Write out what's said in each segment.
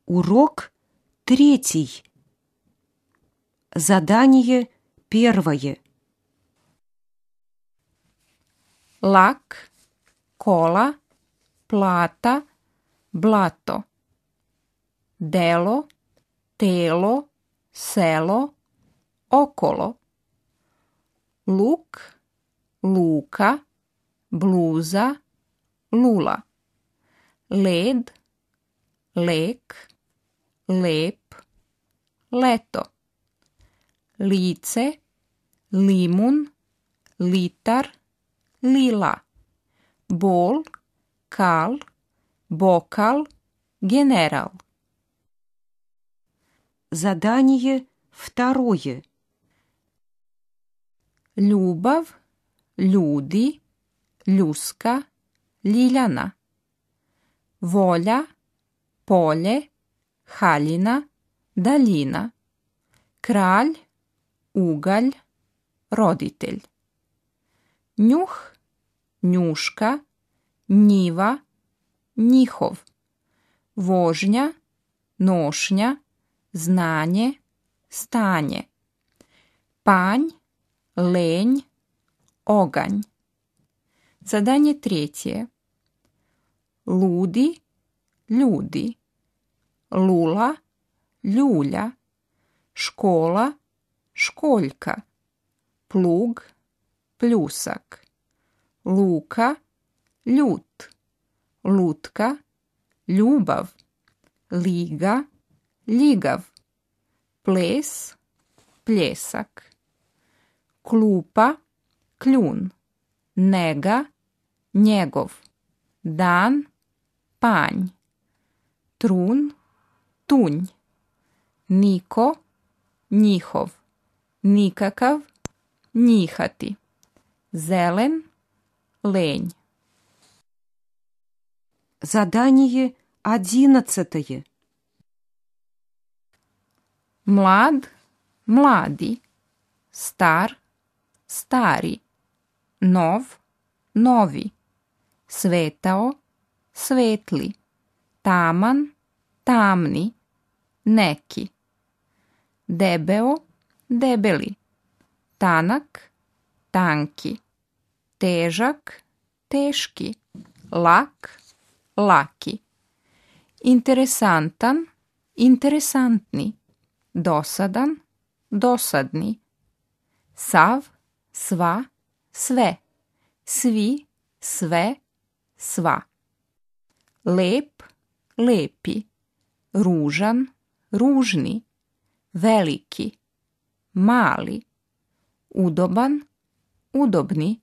Урок 3. Задание 1. Lak, kola, plata, blato. Delo, telo, selo, okolo. Luk, luka, bluza, lula. Led, lek, lep, leto. Lice, limun, litar, lila. Bol, kal, bokal, general. Задание 2. Ljubav, ljudi, ljuska, ljiljana. Volja, polje, haljina, daljina. Kralj, ugalj, roditelj. Njuh, njuška, njiva, njihov. Vožnja, nošnja, znanje, stanje. Panj, lenj, oganj. Zadanje 3. Ludi, ljudi. Lula, ljulja. Škola, školjka. Plug, pljusak. Luka, ljut. Lutka, ljubav. Liga, ljigav. Ples, pljesak. Klupa, kljun. Nega, njegov. Dan, panj. Trun, tunj. Niko, njihov. Nikakav, njihati. Zelen, lenj. Задание 11. Mlad, mladi. Star, stari. Nov, novi. Svetao, svetli. Taman, tamni. Neki. Debeo, debeli. Tanak, tanki. Težak, teški. Lak, laki. Interesantan, interesantni. Dosadan, dosadni. Sav, sva, sve. Svi, sve, sva. Lep, lepi. Ružan, ružni. Veliki, mali. Udoban, udobni.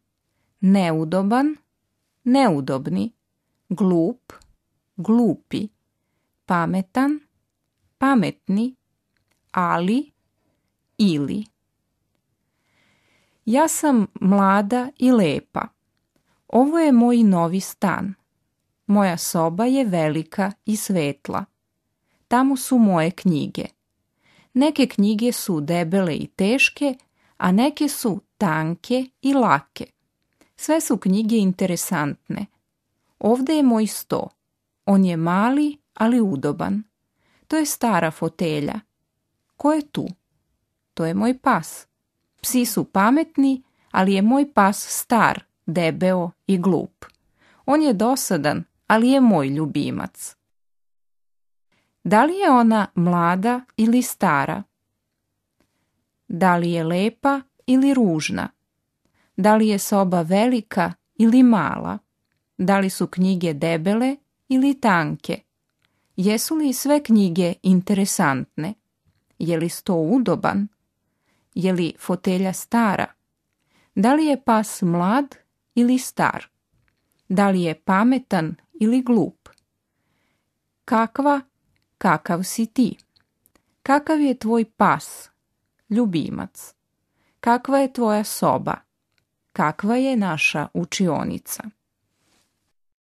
Neudoban, neudobni. Glup, glupi. Pametan, pametni. Ali, ili. Ja sam mlada i lepa. Ovo je moj novi stan. Moja soba je velika i svetla. Tamo su moje knjige. Neke knjige su debele i teške, a neke su tanke i lake. Sve su knjige interesantne. Ovde je moj sto. On je mali, ali udoban. To je stara fotelja. Ko je tu? To je moj pas. Psi su pametni, ali je moj pas star, debeo i glup. On je dosadan, ali je moj ljubimac. Da li je ona mlada ili stara? Da li je lepa ili ružna? Da li je soba velika ili mala? Da li su knjige debele ili tanke? Jesu li sve knjige interesantne? Je li sto udoban? Je li fotelja stara? Da li je pas mlad ili star? Da li je pametan ili glup? Kakav si ti? Kakav je tvoj pas, ljubimac? Kakva je tvoja soba? Kakva je naša učionica?